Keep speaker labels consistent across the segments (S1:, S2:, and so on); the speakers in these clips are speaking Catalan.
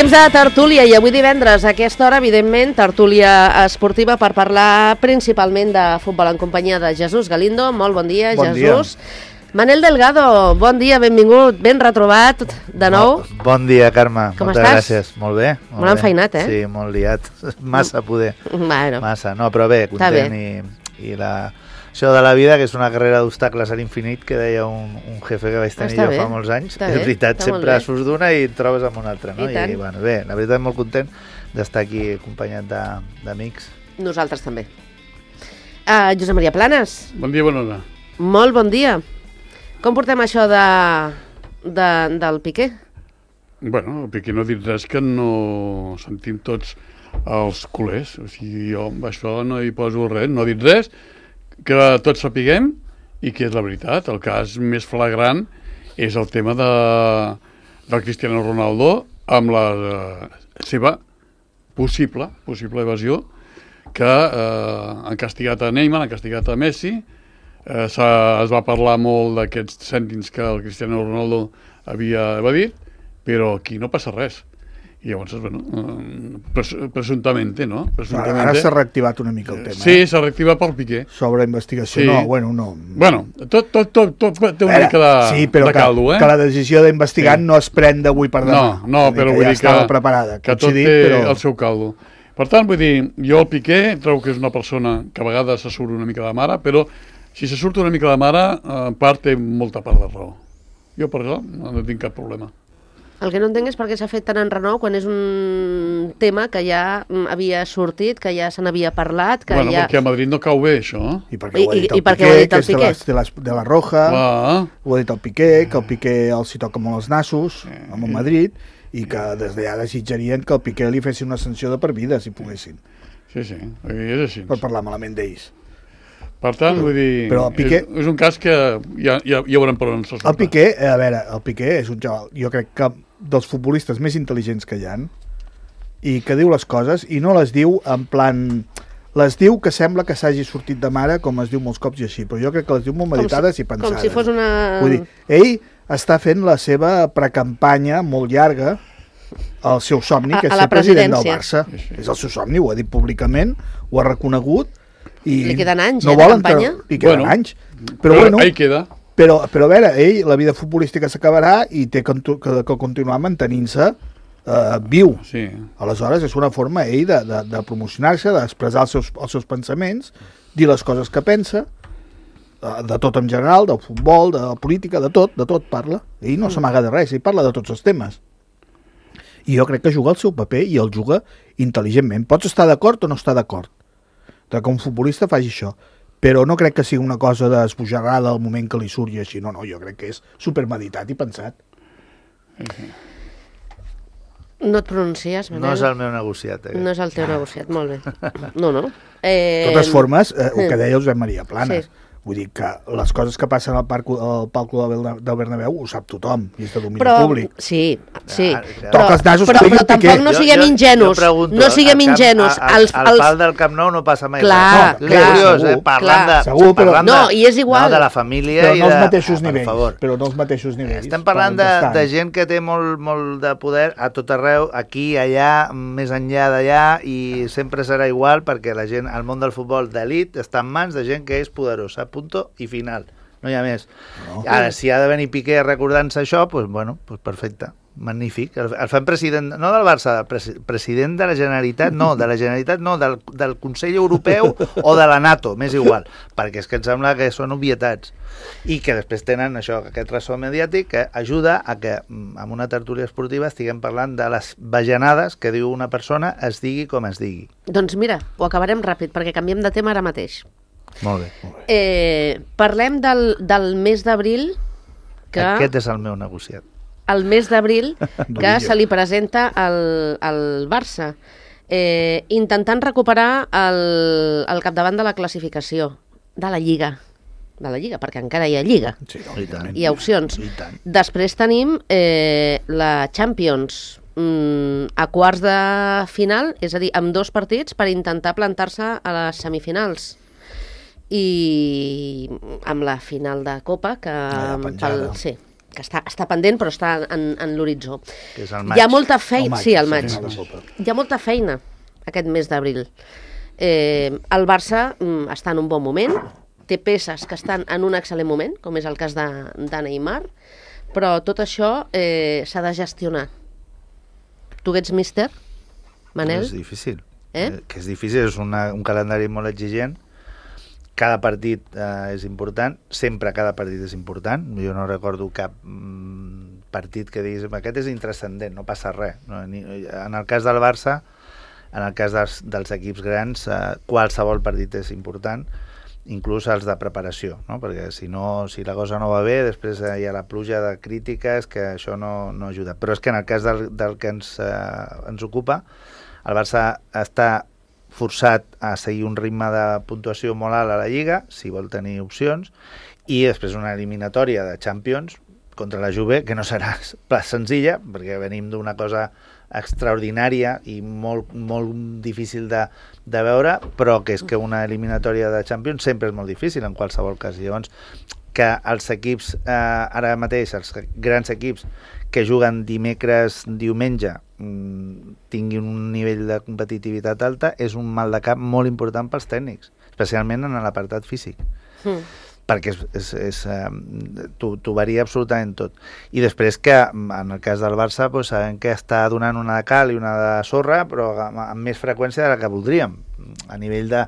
S1: Temps de tertúlia i avui divendres a aquesta hora, evidentment, tertúlia esportiva per parlar principalment de futbol en companyia de Jesús Galindo. Molt bon dia,
S2: bon
S1: Jesús.
S2: Dia.
S1: Manel Delgado, bon dia, benvingut, ben retrobat de nou.
S2: Bon dia, Carme.
S1: Com
S2: moltes
S1: estàs?
S2: Gràcies. Molt bé.
S1: Molt enfeinat, eh?
S2: Sí, molt liat. Massa poder.
S1: Bueno.
S2: Massa. No, però bé, content. I això de la vida, que és una carrera d'obstacles a l'infinit, que deia un jefe que vaig tenir jo fa molts anys. És veritat, sempre surts d'una i et trobes amb una altra. No? I bueno, bé, la veritat, molt content d'estar aquí acompanyat d'amics.
S1: Nosaltres també. Josep Maria Planes.
S3: Bon dia, bona hora.
S1: Molt bon dia. Com portem això del Piqué?
S3: Bueno, el Piqué no ha dit res que no sentim tots els culers. O sigui, jo amb això no hi poso res, no ha dit res, que tots sapiguem i que és la veritat. El cas més flagrant és el tema del Cristiano Ronaldo amb la seva possible evasió, que han castigat a Neymar, han castigat a Messi. Es va parlar molt d'aquests cèntims que el Cristiano Ronaldo havia evadit, però aquí no passa res. I llavors, bueno, presumptament, no?
S4: Ara s'ha reactivat una mica el tema.
S3: Sí, s'ha reactivat pel Piqué.
S4: Sobre investigació,
S3: sí.
S4: No.
S3: Bueno, tot té una mica de caldo,
S4: que la decisió d'investigar no es pren d'avui per demà.
S3: No, però vull dir
S4: estava preparada,
S3: que tot té el seu caldo. Per tant, vull dir, jo el Piqué trobo que és una persona que a vegades se surt una mica de mare, però si se surt una mica de mare, en part té molta part de raó. Jo per això no tinc cap problema.
S1: El que no entenc és per què s'ha fet tant enrenou quan és un tema que ja havia sortit, que ja se n'havia parlat...
S3: Perquè a Madrid no cau bé, això.
S4: I perquè ho ha dit el Piqué, que és de la Roja, ho ha dit el Piqué, que el Piqué els hi toca molt els nassos, amb el Madrid, i que des d'allà desitjarien que el Piqué li fessin una sanció de per vida, si poguessin.
S3: Sí, és així.
S4: Per parlar malament d'ells.
S3: Per tant, vull dir, Piqué, és un cas que ja veurem per on se surt.
S4: El Piqué, a veure, el Piqué és un xaval, jo crec que dels futbolistes més intel·ligents que hi ha, i que diu les coses, i no les diu en plan... Les diu que sembla que s'hagi sortit de mare, com es diu molts cops i així, però jo crec que les diu molt meditades i pensades.
S1: Com si fos una...
S4: Vull dir, ell està fent la seva precampanya molt llarga, el seu somni, que és ser president del Barça. És el seu somni, ho ha dit públicament, ho ha reconegut, i
S1: li queden anys,
S4: no
S1: de campanya?
S4: Li queden anys. Però bueno,
S3: ahí queda.
S4: Però a veure, ell, la vida futbolística s'acabarà i té que continuar mantenint-se viu.
S3: Sí.
S4: Aleshores, és una forma, ell, de promocionar-se, d'expressar els seus pensaments, dir les coses que pensa, de tot en general, del futbol, de la política, de tot parla. Ell no s'amaga de res, ell parla de tots els temes. I jo crec que juga el seu paper i el juga intel·ligentment. Pots estar d'acord o no estar d'acord que un futbolista faci això, però no crec que sigui una cosa d'esbojarrada al moment que li surti així, no, jo crec que és supermeditat i pensat.
S1: No et pronuncies, Manel?
S2: No és el meu negociat.
S1: No és el teu negociat, molt bé. No.
S4: De totes formes, el que deia Josep Maria Planes, vull dir que les coses que passen al palco del Bernabéu ho sap tothom, i és de domini públic.
S1: Sí.
S4: Toca els nasos
S1: però tampoc no siguem ingenus. No siguem ingenus.
S2: Al pal del Camp Nou no passa mai
S1: res.
S2: És curiós, parlant de la família i
S4: no els mateixos nivells. Però no els mateixos nivells.
S2: Estem parlant de gent que té molt de poder a tot arreu, aquí, allà, més enllà d'allà, i sempre serà igual perquè la gent, el món del futbol d'elit està en mans de gent que és poderosa. Punto i final, no hi ha més. Ara, si ha de venir Piqué recordant-se això, doncs perfecte, magnífic. El fan president, no del Barça, president de la Generalitat, del Consell Europeu o de la NATO, m'és igual, perquè és que em sembla que són obvietats. I que després tenen això, aquest ressò mediàtic que ajuda a que en una tertúlia esportiva estiguem parlant de les bajanades que diu una persona, es digui com es digui.
S1: Doncs mira, ho acabarem ràpid, perquè canviem de tema ara mateix.
S2: Molt bé.
S1: Parlem del mes d'abril que...
S2: Aquest és el meu negociat.
S1: El mes d'abril que se li presenta al Barça, intentant recuperar el capdavant de la classificació de la Lliga, perquè encara hi ha Lliga, hi ha opcions. Després tenim la Champions a quarts de final, és a dir, amb 2 partits per intentar plantar-se a les semifinals. I amb la final de Copa que que està pendent però està en l'horitzó.
S2: Que és el
S1: Hi ha
S2: maig.
S1: molta feina, sí, al maig.
S4: final de Copa.
S1: Hi ha molta feina aquest mes d'abril. El Barça està en un bon moment, té peces que estan en un excel·lent moment, com és el cas de Neymar, però tot això s'ha de gestionar. Tu que ets míster, Manel?
S2: És difícil.
S1: Eh?
S2: Que és difícil, és un calendari molt exigent. Cada partit és important, sempre cada partit és important. Jo no recordo cap partit que diguis aquest és intrascendent, no passa res. No? En el cas del Barça, en el cas dels equips grans, qualsevol partit és important, inclús els de preparació, no? Perquè si la cosa no va bé, després hi ha la pluja de crítiques, que això no ajuda. Però és que en el cas del que ens ocupa, el Barça està forçat a seguir un ritme de puntuació molt alt a la Lliga, si vol tenir opcions, i després una eliminatòria de Champions contra la Juve, que no serà senzilla, perquè venim d'una cosa extraordinària i molt, molt difícil de veure, però que és que una eliminatòria de Champions sempre és molt difícil en qualsevol cas. Llavors, que els equips, ara mateix, els grans equips que juguen dimecres, diumenge, tinguin un nivell de competitivitat alta, és un mal de cap molt important pels tècnics, especialment en l'apartat físic. Perquè t'ho varia absolutament tot. I després que, en el cas del Barça, doncs, sabem que està donant una de cal i una de sorra, però amb més freqüència de la que voldríem, a nivell de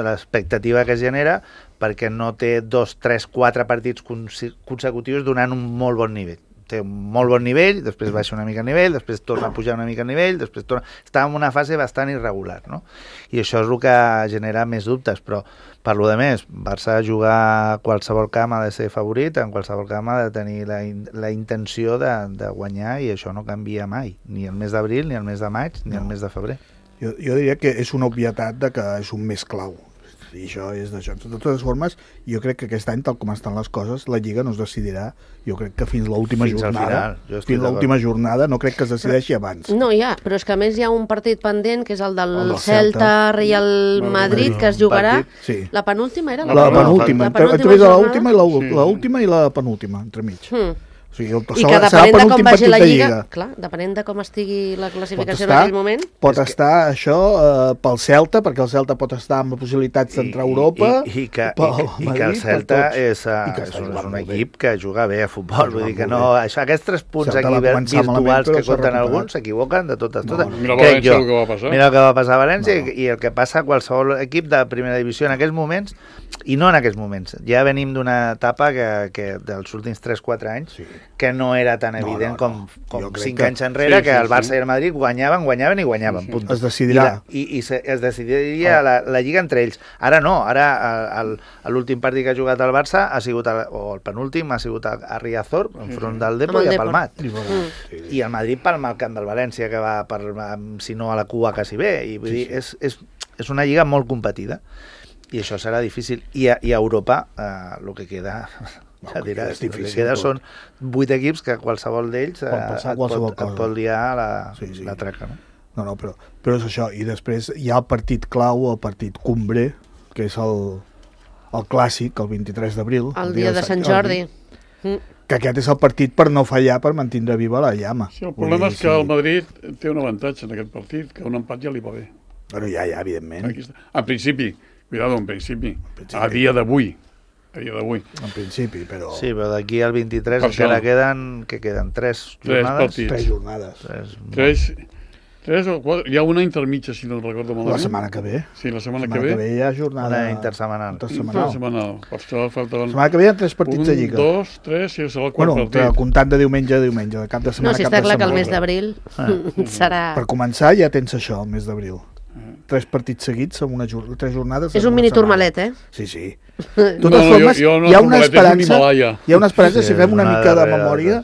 S2: l'expectativa que es genera, perquè no té 2, 3, 4 partits consecutius donant un molt bon nivell. Té un molt bon nivell, després baixa una mica el nivell, després torna a pujar una mica el nivell, després torna... Està en una fase bastant irregular, no? I això és el que genera més dubtes, però per lo de més, Barça jugar a qualsevol camp ha de ser favorit, en qualsevol camp ha de tenir la intenció de guanyar, i això no canvia mai, ni el mes d'abril, ni el mes de maig, ni el mes de febrer.
S4: Jo diria que és una obvietat de que és un mes clau. I això és d'això. De totes formes, jo crec que aquest any, tal com estan les coses, la Lliga no es decidirà, jo crec que fins l'última jornada. Fins l'última jornada no crec que es decideixi abans.
S1: No, però és que a més hi ha un partit pendent, que és el del Celta Real Madrid, que es jugarà.
S4: Sí.
S1: La penúltima era?
S4: La penúltima. Entre l'última i la penúltima, entremig. O sigui,
S1: I que depenent de com vagi la Lliga, clar, depenent de com estigui la classificació en aquell moment...
S4: Pot estar això pel Celta, perquè el Celta pot estar amb possibilitats d'entrar a Europa,
S2: i que el Celta és un equip que juga bé a futbol, vull dir que no... Aquests 3 punts aquí virtuals que compten alguns s'equivoquen de totes.
S3: Mira València el que va passar.
S2: Mira el que va passar a València i el que passa a qualsevol equip de primera divisió en aquests moments, i no en aquests moments. Ja venim d'una etapa que dels últims 3-4 anys que no era tan evident com 5 anys enrere, que el Barça i el Madrid guanyaven i guanyaven.
S4: Es decidirà.
S2: I es decidiria la Lliga entre ells. Ara no, ara l'últim partit que ha jugat el Barça ha sigut, o el penúltim, ha sigut a Riazor, enfront del Depor, i ha palmat. I el Madrid palma al camp del València, que va, si no a la cua, quasi bé. I vull dir, és una lliga molt competida. I això serà difícil. I a Europa, el que queda... el que queda són 8 equips que qualsevol d'ells et pot liar la traca, no?
S4: No, però és això. I després hi ha el partit clau, el partit cumbre, que és el clàssic, el 23 d'abril.
S1: El dia de Sant Jordi.
S4: Que aquest és el partit per no fallar, per mantindre viva la llama.
S3: Sí, el problema és que el Madrid té un avantatge en aquest partit, que un empat ja li va bé.
S4: Bueno, ja, evidentment.
S3: En principi, a dia d'avui.
S4: En principi, però...
S2: Sí, però d'aquí al 23 encara queden 3 jornades.
S4: 3 jornades.
S3: 3 o 4, hi ha una intermitja, si no recordo malament.
S4: La setmana que ve.
S3: Sí, la setmana que ve
S4: hi ha jornada...
S2: Una intersetmanal.
S3: Per això falta...
S4: La setmana que ve hi ha 3 partits de Lliga.
S3: 1, 2, 3, sí, serà el quart partit.
S4: Bueno, comptant de diumenge a diumenge, de cap de setmana
S1: no, si està clar que el mes d'abril serà...
S4: Per començar ja tens això, el mes d'abril. 3 partits seguits amb 3 jornades.
S1: És un mini turmalet,
S4: Sí. De totes formes, hi ha una esperança, si fem una mica de memòria,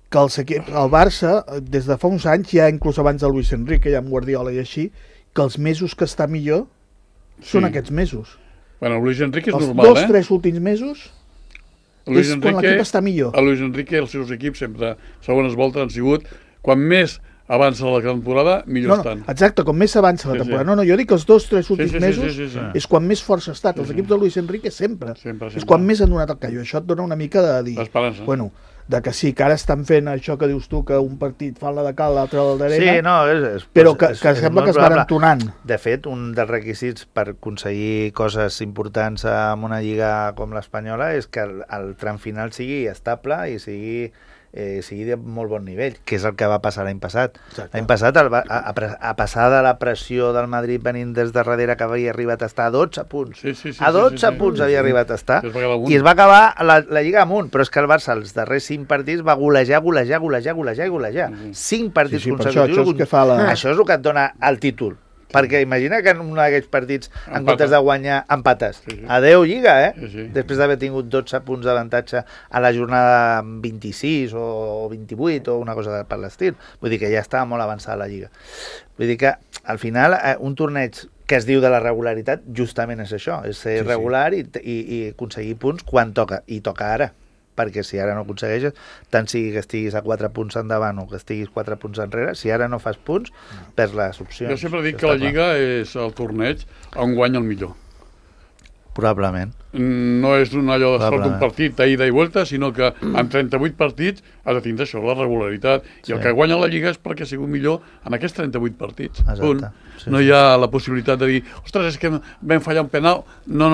S4: que el Barça, des de fa uns anys, ja inclús abans de Luis Enrique, ja amb Guardiola i així, que els mesos que està millor són aquests mesos.
S3: Bueno, Luis Enrique és normal,
S4: Els 2-3 últims mesos és quan l'equip està millor.
S3: A Luis Enrique els seus equips sempre, segones voltes, han sigut, quan més avança la temporada, millor estan.
S4: Exacte, com més s'avança la temporada. No, jo dic que els 2-3 últims mesos és quan més força ha estat. Els equips de Luis Enrique sempre. És quan més han donat el callo. Això et dona una mica de dir...
S3: L'esperança.
S4: Bueno, de que sí, que ara estan fent això que dius tu, que un partit fan la de cal, l'altre la d'arena,
S2: sí, no,
S4: però que sembla que es van entonant.
S2: De fet, un dels requisits per aconseguir coses importants en una lliga com l'espanyola és que el tram final sigui estable i sigui de molt bon nivell, que és el que va passar l'any passat. L'any passat, a passar de la pressió del Madrid venint des de darrere, que havia arribat a estar a 12 punts. A 12 punts havia arribat a estar. I es va acabar la Lliga amunt, però és que el Barça els darrers 5 partits va golejar. 5 partits consecutius. Això és el que et dona el títol. Perquè imagina que en un d'aquests partits, en comptes de guanyar, empates. Adéu, Lliga, Després d'haver tingut 12 punts d'avantatge a la jornada 26 o 28 o una cosa per l'estil. Vull dir que ja estava molt avançada la Lliga. Vull dir que, al final, un torneig que es diu de la regularitat, justament és això, és ser regular i aconseguir punts quan toca, i toca ara. Perquè si ara no aconsegueixes, tant sigui que estiguis a 4 punts endavant o que estiguis 4 punts enrere, si ara no fas punts, perds les opcions.
S3: Jo sempre dic que la Lliga és el torneig on guanya el millor.
S2: Probablement.
S3: No és allò de sort un partit d'ida i vuelta, sinó que en 38 partits has de tindre això, la regularitat. I el que guanya la Lliga és perquè ha sigut millor en aquests 38 partits. No hi ha la possibilitat de dir, ostres, és que vam fallar un penal. No,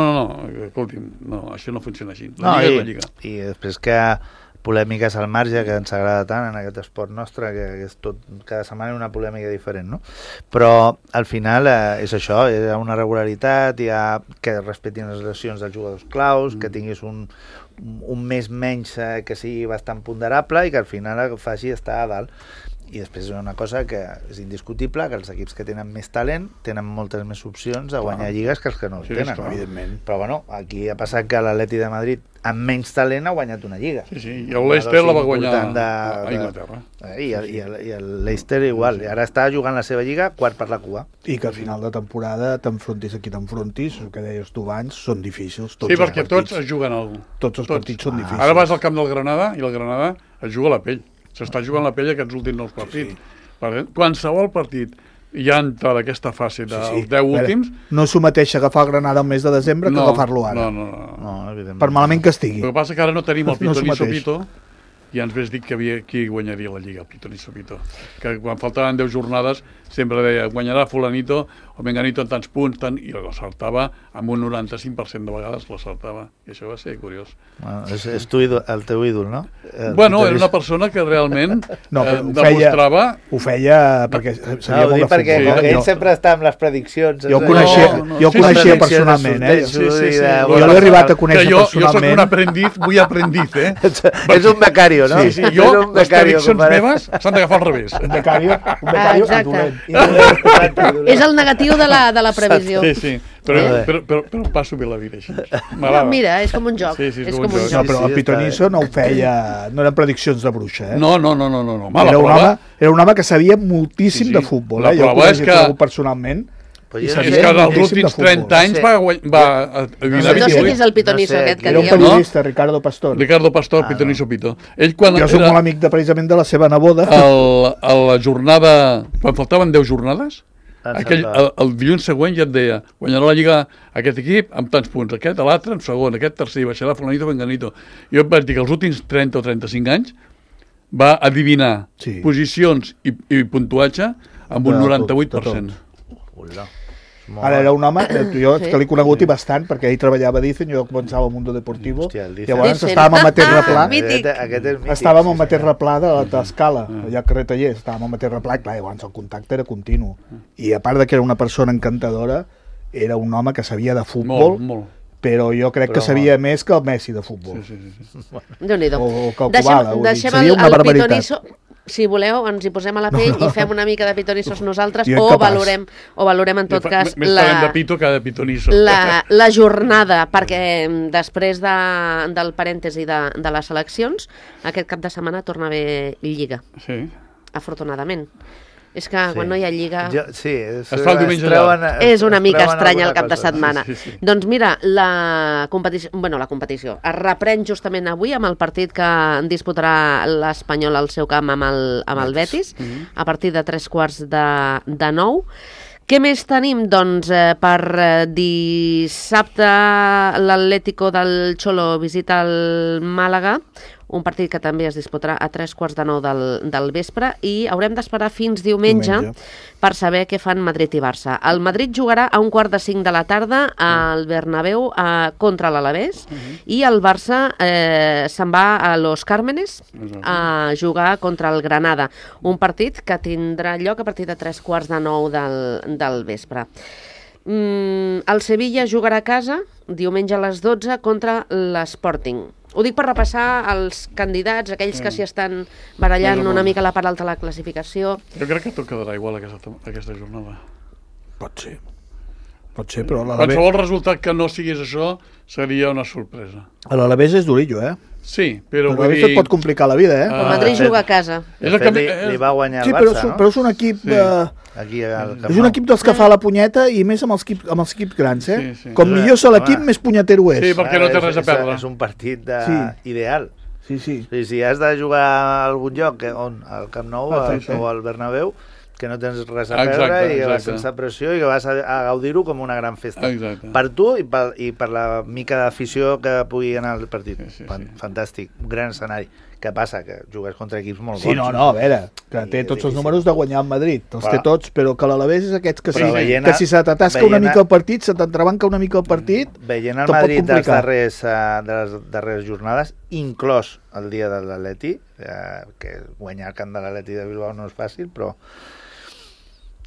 S3: escolti'm, no, això no funciona així. La Lliga és la Lliga.
S2: I després que polèmiques al marge, que ens agrada tant en aquest esport nostre, que és tot, cada setmana una polèmica diferent, no? Però al final és això, hi ha una regularitat, hi ha que respectin les lesions dels jugadors claus, que tinguis un mes menys que sigui bastant ponderable i que al final faci estar a dalt. I després és una cosa que és indiscutible, que els equips que tenen més talent tenen moltes més opcions de guanyar lligues que els que no el tenen.
S4: Evidentment.
S2: Però bueno, aquí ha passat que l'Atleti de Madrid amb menys talent ha guanyat una lliga.
S3: Sí, i el Leicester la va guanyar a Inglaterra.
S2: I el Leicester igual, i ara està jugant la seva lliga quart per la cua.
S4: I que al final de temporada t'enfrontis a qui t'enfrontis, el que deies tu abans, són difícils.
S3: Sí, perquè tots es juguen alguna cosa.
S4: Tots els partits són difícils.
S3: Ara vas al camp del Granada i el Granada es juga la pell. S'està jugant la pell aquests últims 9 partits. Qualsevol partit ja entra d'aquesta fase dels 10 últims...
S4: No s'ho mateix agafar el Granada el mes de desembre que agafar-lo ara.
S3: No, evidentment.
S4: Per malament que estigui.
S3: El que passa que ara no tenim el Pitoniso Pito, i ens ves dir que qui guanyaria la Lliga, el Pitoniso Pito. Que quan faltaven 10 jornades sempre deia guanyarà fulanito o menganito en tants punts, i l'acertava amb un 95% de vegades, l'acertava. I això va ser curiós.
S2: És el teu ídol, no?
S3: Bueno, era una persona que realment demostrava...
S4: Ho feia perquè sabia molt de futbol.
S2: Perquè ell sempre està amb les prediccions.
S4: Jo ho coneixia personalment, Jo l'he arribat a conèixer personalment.
S3: Jo soc un aprendiz, muy aprendiz,
S2: És un becario, no?
S3: Sí, jo, les prediccions meves s'han d'agafar al revés.
S4: Un becario dolent.
S1: És el negatiu de la previsió.
S3: Sí, però passo bé la vida així.
S1: Mira, és com un joc. És com un joc.
S4: No, però el Pitoniso no ho feia, no eren prediccions de bruixa,
S3: No.
S4: Era un home que sabia moltíssim de futbol,
S3: Jo ho coneixia
S4: personalment.
S3: És que en els últims 30 anys va
S1: No sé qui és el Pitoniso aquest que
S4: era un periodista, Ricardo Pastor.
S3: Ricardo Pastor, Pitoniso Pito.
S4: Jo soc molt amic precisament de la seva neboda.
S3: A la jornada, quan faltaven 10 jornades, el dilluns següent ja et deia guanyarà la Lliga aquest equip amb tants punts, aquest, l'altre en segon, aquest tercer, baixarà fulanito, venganito. Jo et vaig dir que els últims 30 o 35 anys va adivinar posicions i puntuatge amb un 98%.
S4: Ara era un home, jo que l'he conegut i bastant, perquè ell treballava a Dicen, jo començava al Mundo Deportivo, llavors estàvem a Materraplà, estàvem a Materraplà de l'Escala, allà a carrer Tallers, estàvem a Materraplà, i clar, llavors el contacte era continu, i a part de que era una persona encantadora, era un home que sabia de futbol, però jo crec que sabia més que el Messi de futbol.
S1: Déu-n'hi-do.
S4: O que el Kubala,
S1: sabia una barbaritat. Si voleu, ens hi posem a la pell i fem una mica de pitonisos nosaltres o valorem en tot cas
S3: més talent de pito que de pitoniso.
S1: La jornada, perquè després del parèntesi de les eleccions, aquest cap de setmana torna a haver Lliga, afortunadament. És que quan no hi ha Lliga...
S2: Sí,
S3: Es fa el diumenge
S1: És una mica estrany el cap de setmana.
S3: Sí.
S1: Doncs mira, la competició es reprèn justament avui amb el partit que disputarà l'Espanyol al seu camp amb el Betis, a partir de 8:45. Què més tenim? Doncs per dissabte l'Atlético del Cholo visita el Màlaga, un partit que també es disputarà a 8:45 del vespre, i haurem d'esperar fins diumenge per saber què fan Madrid i Barça. El Madrid jugarà a 4:45 de la tarda al Bernabéu contra l'Alavés, i el Barça se'n va a Los Cármenes a jugar contra el Granada, un partit que tindrà lloc a partir de 8:45 del vespre. El Sevilla jugarà a casa diumenge a les 12 contra l'Sporting. Ho dic per repassar els candidats, aquells que s'hi estan barallant una mica a la part alta de la classificació.
S3: Jo crec que tot quedarà igual aquesta jornada.
S4: Pot ser, però
S3: qualsevol resultat que no sigués això seria una sorpresa.
S4: l'Alavés és durillo,
S3: Sí, però
S4: a veure, et pot complicar la vida,
S1: El Madrid juga a casa.
S2: Li va guanyar el
S4: Sí,
S2: Barça, no?
S4: però és un equip...
S2: Aquí al Camp
S4: És un
S2: Nou.
S4: equip dels que fa la punyeta, i més amb els equips grans,
S3: Sí.
S4: Com millor és l'equip, més punyetero és.
S3: Sí, perquè no té res a perdre.
S2: És un partit
S4: Sí.
S2: ideal.
S4: Sí.
S2: Si has de jugar a algun lloc, on? Al Camp Nou
S4: Exacte.
S2: o al Bernabéu, que no tens res a
S3: Exacte,
S2: perdre i que vas
S3: exacte.
S2: sense pressió i que vas a gaudir-ho com una gran festa.
S3: Exacte.
S2: Per tu i per la mica d'afició que pugui anar al partit.
S3: Sí.
S2: Fantàstic, un gran escenari. Què passa? Que jugues contra equips molt bons.
S4: Sí, no, a veure, que té tots els números de guanyar el Madrid, els té tots, però que l'Alavés és aquests que, que si se t'atasca una mica el partit, se t'entrebanca una mica el partit,
S2: veient el Madrid de les darreres jornades, inclòs el dia de l'Atleti, que guanyar el camp de l'Atleti de Bilbao no és fàcil, però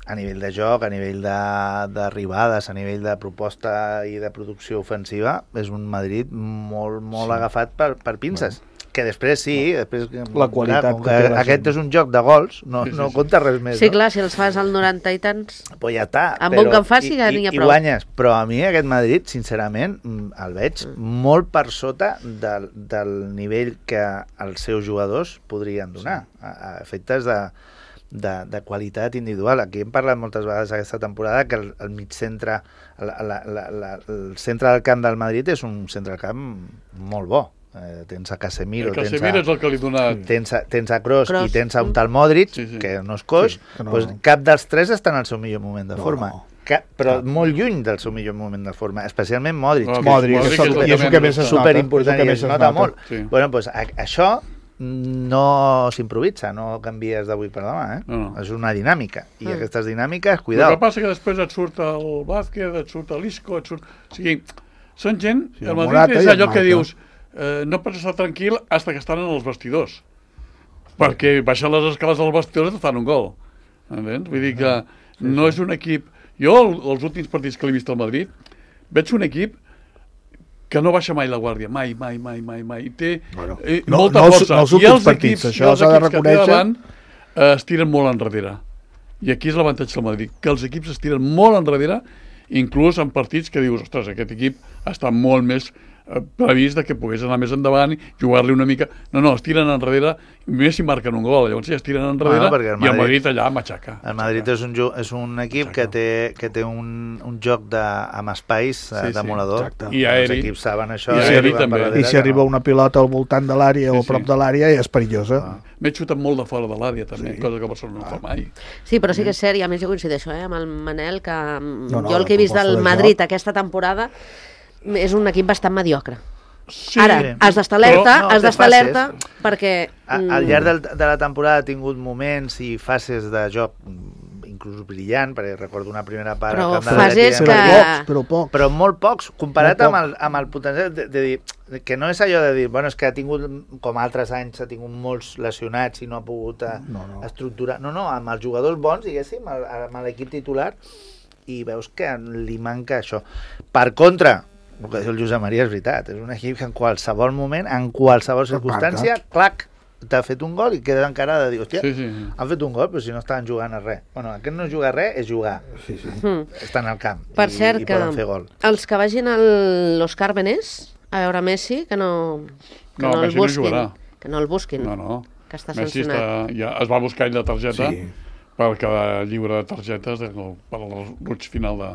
S2: a nivell de joc, a nivell d'arribades, a nivell de proposta i de producció ofensiva, és un Madrid molt agafat per pinces. Que després després...
S4: La qualitat
S2: aquest és un joc de gols, no compta res més.
S1: Sí, clar, si els fas al 90 i tants...
S2: Pues ja està.
S1: Amb un que en faci ja n'hi ha prou.
S2: I guanyes. Però a mi aquest Madrid, sincerament, el veig molt per sota del nivell que els seus jugadors podrien donar, a efectes de qualitat individual. Aquí hem parlat moltes vegades aquesta temporada que el mig-centre, el centre del camp del Madrid és un centre del camp molt bo. Tens a Casemiro,
S3: és el que li dona...
S2: tens a Kroos i tens a un tal Modric, que no és coix, doncs cap dels tres està en el seu millor moment de forma. Però molt lluny del seu millor moment de forma, especialment Modric.
S4: I és el que més es nota.
S2: Superimportant, i es nota molt. Bueno, doncs això no s'improvisa, no canvies d'avui per demà, és una dinàmica, i aquestes dinàmiques, cuidao.
S3: El que passa que després et surt el Vázquez, et surt l'Isco, o sigui, són gent, el Madrid és allò que dius, no pots estar tranquil fins que estan en els vestidors, perquè baixant les escales dels vestidors et fan un gol, entens? Vull dir que no és un equip... Jo, els últims partits que l'he vist al Madrid, veig un equip que no baixa mai la guàrdia, mai. Té molta força.
S4: I els equips
S3: que té davant es tiren molt enrere. I aquí és l'avantatge del Madrid, que els equips es tiren molt enrere, inclús en partits que dius, ostres, aquest equip està molt més previst que pogués anar més endavant i jugar-li una mica... No, es tiren enrere, més si marquen un gol, llavors ja es tiren enrere i el Madrid allà matxaca.
S2: El Madrid és un equip que té un joc amb espais demolador.
S3: I aeri.
S2: Els equips saben això.
S4: I si arriba una pilota al voltant de l'àrea o a prop de l'àrea és perillosa.
S3: M'he xutat molt de fora de l'àrea també, cosa que Barcelona no fa mai.
S1: Sí, però sí que és cert, i a més jo coincideixo amb el Manel, que jo el que he vist del Madrid aquesta temporada és un equip bastant mediocre. Ara, has d'estar alerta, perquè...
S2: Al llarg de la temporada ha tingut moments i fases de joc inclús brillant, perquè recordo una primera part...
S1: Però fases que...
S2: Però molt pocs, comparat amb el potencial de dir... Que no és allò de dir, bueno, és que ha tingut, com altres anys, ha tingut molts lesionats i no ha pogut estructurar... No, amb els jugadors bons, diguéssim, amb l'equip titular, i veus que li manca això. Per contra, el que diu el Josep Maria és veritat, és un equip que en qualsevol moment, en qualsevol circumstància, clac, t'ha fet un gol i queda encara de dir, hòstia, han fet un gol, però si no estaven jugant a res. Bueno, aquest no és jugar a res, és jugar. Estan al camp
S1: per cert,
S2: i poden fer gol.
S1: Els que vagin a Los Cármenes a veure Messi, que no el busquin. Que no el busquin.
S3: No.
S1: Que està
S3: Messi
S1: sancionat.
S3: ja es va buscar ell la targeta, per cada llibre de targetes per al roig final de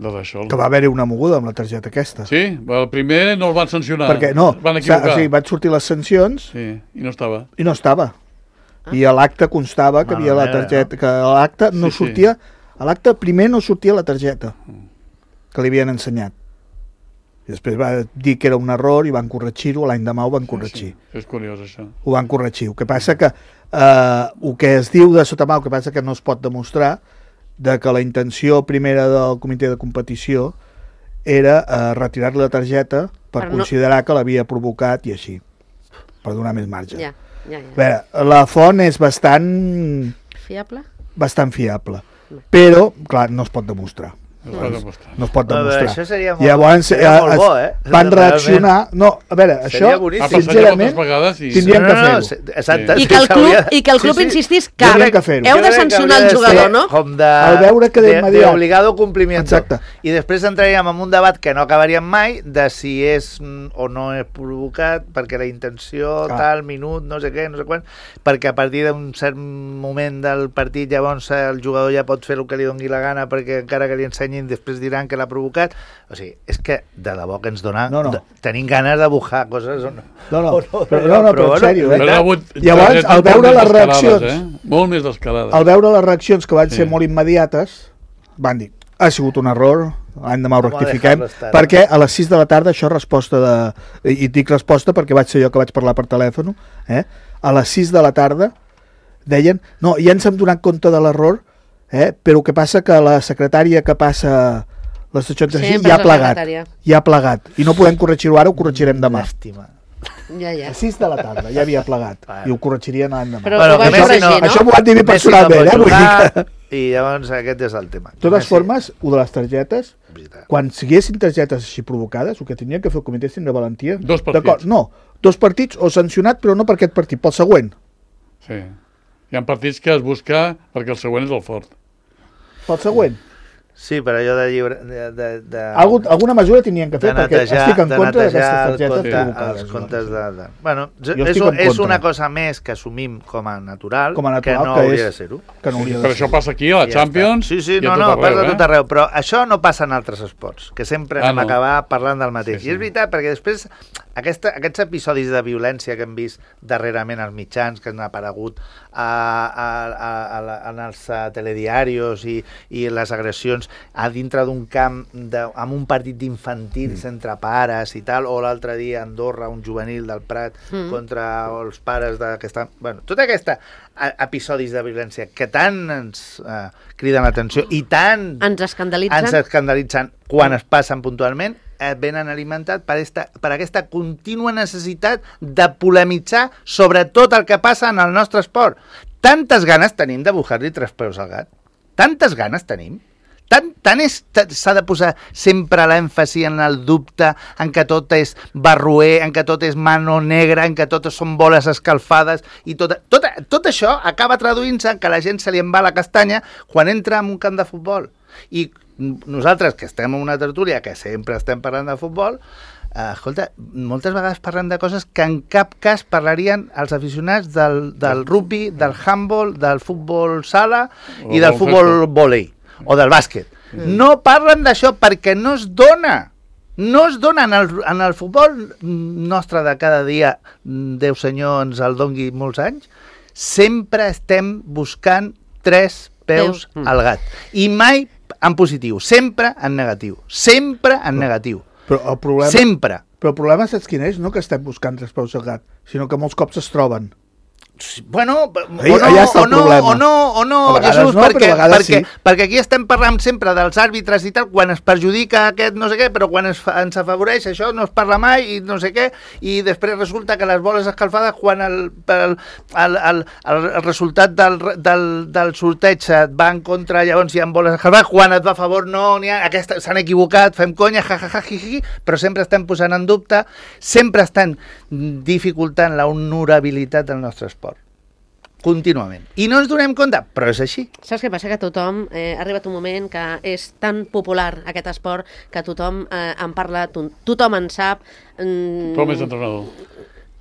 S3: d'això.
S4: Que va haver-hi una moguda amb la targeta aquesta.
S3: Sí, el primer no el van sancionar.
S4: Perquè no,
S3: van equivocar.
S4: o sigui, van sortir les sancions
S3: Sí, i no estava.
S4: i no estava. I a l'acte constava que havia la targeta, que a l'acte no sortia, a l'acte primer no sortia la targeta que li havien ensenyat. I després va dir que era un error i van corregir-ho, l'any demà ho van corregir.
S3: Sí. És curiós, això.
S4: Ho van corregir. El que passa que el que es diu de sota mà, el que passa que no es pot demostrar de que la intenció primera del comitè de competició era retirar-li la targeta per considerar que l'havia provocat i així, per donar més marge.
S1: Ja.
S4: A veure, la font és bastant
S1: fiable,
S4: però, clar, no es pot demostrar. No es pot demostrar.
S2: Això seria molt,
S4: llavors,
S2: molt bo,
S4: van reaccionar... No, a veure, això, sincerament, tindríem que fer-ho.
S1: I que el club insistís que heu de sancionar el jugador, no?
S2: Com
S4: al veure que d'immediat...
S2: d'obligado complimiento. Exacte. I després entraríem en un debat que no acabaríem mai de si és o no és provocat, perquè la intenció, tal, minut, no sé què, no sé quan, perquè a partir d'un cert moment del partit llavors el jugador ja pot fer el que li doni la gana perquè encara que li ensenyi després diran que l'ha provocat. O sigui, és que de debò que ens dona... Tenim ganes de bujar coses o no.
S4: Però en sèrio, llavors, al veure les reaccions...
S3: Molt més d'escalades.
S4: Al veure les reaccions que van ser molt immediates, van dir, ha sigut un error, l'any demà ho rectifiquem, perquè a les 6 de la tarda, això resposta de... I dic resposta perquè vaig ser jo que vaig parlar per telèfon, a les 6 de la tarda deien, no, ja ens hem donat compte de l'error, però el que passa que la secretària que passa les seccions ja ha plegat i no podem corregir-ho ara, ho corregirem demà. A 6 de la tarda ja havia plegat i ho corregirien l'any demà. Això m'ho van dir personalment,
S2: i llavors aquest és el tema.
S4: De totes formes, de les targetes, quan siguessin targetes així provocades, el que tenien que fer el comitè és tindre valentia.
S3: 2 partits.
S4: No, 2 partits o sancionat, però no per aquest partit, pel següent.
S3: Sí. Hi ha partits que es busca perquè el següent és el fort.
S4: Pel següent.
S2: Sí, però allò de llibre...
S4: Alguna mesura tenien que fer perquè estic en contra d'aquestes targetes provocades.
S2: Els comptes de... Bueno, és una cosa més que assumim com a natural, que no hauria de ser-ho.
S3: Però això passa aquí, a la Champions,
S2: i a tot arreu. Però això no passa en altres esports, que sempre hem acabat parlant del mateix. I és veritat, perquè després aquests episodis de violència que hem vist darrerament als mitjans, que han aparegut en els telediarios i les agressions a dintre d'un camp amb un partit d'infantils entre pares i tal, o l'altre dia a Andorra un juvenil del Prat contra els pares d'aquesta... Bueno, tot aquests episodis de violència que tant ens criden l'atenció i tant
S1: ens escandalitzen
S2: quan es passen puntualment, venen alimentat per aquesta contínua necessitat de polemitzar sobre tot el que passa en el nostre esport. Tantes ganes tenim de bujar-li 3 peus al gat. Tantes ganes tenim. S'ha de posar sempre l'èmfasi en el dubte, en que tot és barroer, en que tot és mano negra, en que tot són boles escalfades, i tot això acaba traduint-se en que la gent se li en va la castanya quan entra en un camp de futbol. I nosaltres, que estem en una tertúlia, que sempre estem parlant de futbol, escolta, moltes vegades parlem de coses que en cap cas parlarien els aficionats del rugby, del handball, del futbol sala i del futbol vòlei o del bàsquet. No parlen d'això perquè no es dona. No es dona en el futbol nostre de cada dia, Déu senyor ens el dongui molts anys, sempre estem buscant 3 peus al gat. I mai en positiu, sempre en negatiu. Sempre en negatiu.
S4: Però el problema...
S2: Sempre.
S4: Però el problema saps quin és? No que estem buscant 3 peus al gat, sinó que molts cops es troben.
S2: Bueno,
S4: o
S2: no, Jesús, perquè aquí estem parlant sempre dels àrbitres i tal, quan es perjudica aquest no sé què, però quan ens afavoreix això no es parla mai i no sé què, i després resulta que les boles escalfades, quan el resultat del sorteig et va en contra, llavors hi ha boles escalfades, quan et va a favor no n'hi ha, s'han equivocat, fem conya, però sempre estem posant en dubte, sempre estan dificultant la honorabilitat del nostre esport. Contínuament. I no ens donem compte, però és així.
S1: Saps què passa? Que tothom, ha arribat un moment que és tan popular aquest esport que tothom en parla, tothom en sap.
S3: Tothom és entrenador.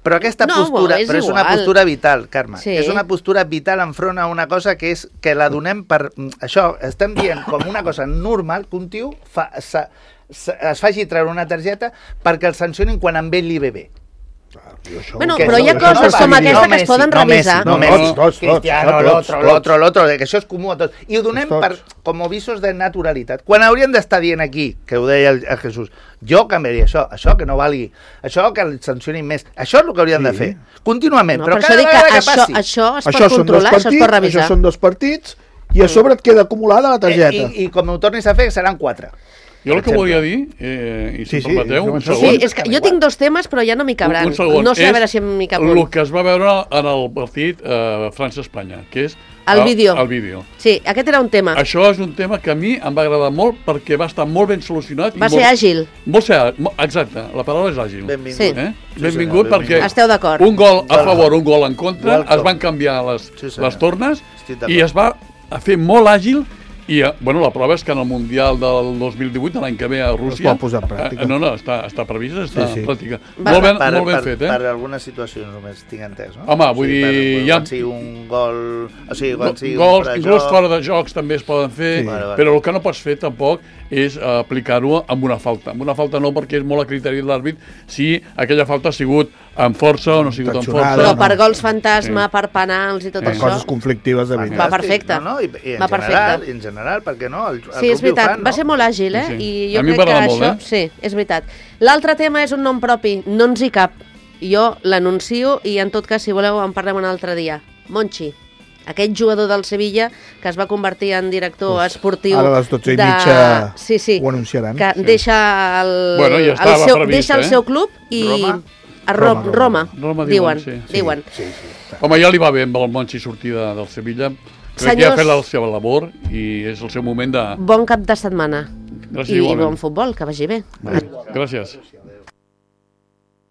S2: Però aquesta
S1: No,
S2: postura,
S1: és
S2: però és una
S1: igual.
S2: postura vital, Carme.
S1: Sí.
S2: És una postura vital enfront a una cosa que és que la donem per... Això, estem dient com una cosa normal que un tio es faci treure una targeta perquè el sancionin quan amb ell li ve bé.
S1: Bueno,
S2: Que
S1: però hi ha
S2: això
S1: coses
S2: no
S1: com
S2: va
S1: aquesta
S2: dir,
S1: que es poden
S2: no Messi,
S1: revisar.
S2: no Messi,
S4: Tots,
S2: Cristiano, l'altre, que això és comú a tots. I ho donem per, com visos de naturalitat. Quan hauríem d'estar dient aquí, que ho deia el Jesús, jo canviaria això que no valgui, això que el sancionin més, això és el que hauríem de fer, contínuament,
S1: No,
S2: però
S1: per
S2: cada
S1: això dic
S2: vegada
S1: que
S2: que passi.
S1: això es pot
S4: Això són dos
S1: controlar, això es pot revisar.
S4: Això són dos partits i a sobre et queda acumulada la targeta.
S2: I com ho tornis a fer, seran 4.
S3: Jo el que volia dir, i si em permeteu, un
S1: Sí,
S3: segon,
S1: és que jo tinc dos temes, però ja no m'hi cabran.
S3: un segon,
S1: No sé a
S3: és
S1: veure si m'hi cap
S3: el
S1: un.
S3: que es va veure en el partit França-Espanya, que és
S1: El vídeo.
S3: El vídeo.
S1: Sí, aquest era un tema.
S3: Això és un tema que a mi em va agradar molt perquè va estar molt ben solucionat.
S1: Va ser àgil.
S3: Exacte, la paraula és àgil.
S2: Benvingut.
S1: Sí.
S3: Benvingut perquè
S1: Esteu d'acord.
S3: un gol a favor, un gol en contra,
S2: Welcome.
S3: es van canviar
S2: Sí, senyor.
S3: les tornes
S2: Estic d'acord.
S3: i es va fer molt àgil i, bueno, la prova és que en el Mundial del 2018, l'any que ve a Rússia...
S4: pot posar en pràctica.
S3: No, està previst, està
S4: Sí, sí.
S3: en pràctica.
S1: Va.
S3: Molt ben fet,
S2: Per algunes situacions només tinc entès, no?
S3: Home, vull dir,
S2: Per,
S3: ja-
S2: quan sigui un gol... O sigui, quan sigui
S3: Gols,
S2: un
S3: inclús fora de jocs també es poden fer,
S4: Sí.
S2: Vale.
S3: però el que no pots fer tampoc és aplicar-ho amb una falta. Amb una falta no, perquè és molt a criteri de l'àrbit si aquella falta ha sigut amb força o no ha sigut amb
S4: Intencionada.
S3: força.
S1: Però per gols fantasma, per penals i tot
S4: Per
S1: això...
S4: coses conflictives de veritat.
S1: Va perfecte.
S2: No, no, i
S1: Va perfecte.
S2: en general, perquè no? El
S1: Sí, és
S2: rugby ho
S1: veritat,
S2: fan,
S1: va ser molt àgil, eh?
S3: Sí, sí.
S1: I jo
S3: A mi em
S1: crec
S3: va
S1: que
S3: agradar
S1: això...
S3: molt,
S1: Sí, és veritat. L'altre tema és un nom propi, no ens hi cap. Jo l'anuncio i en tot cas, si voleu, en parlem un altre dia. Monchi, aquest jugador del Sevilla que es va convertir en director esportiu...
S4: Ara a les 12:30
S1: Sí, sí,
S4: ho anunciaran.
S1: que deixa el,
S3: Bueno, ja estava
S1: el seu,
S3: previst,
S1: deixa el seu club i...
S2: Roma?
S1: A
S4: Roma.
S3: Roma
S1: diuen.
S3: diuen, sí.
S1: Diuen.
S3: Home, ja li va bé amb el Monchi sortir del Sevilla. Crec que ja ha fet la seva labor i és el seu moment de...
S1: Bon cap de setmana.
S3: Gràcies
S1: I
S3: igualment.
S1: bon futbol, que vagi bé.
S3: Gràcies.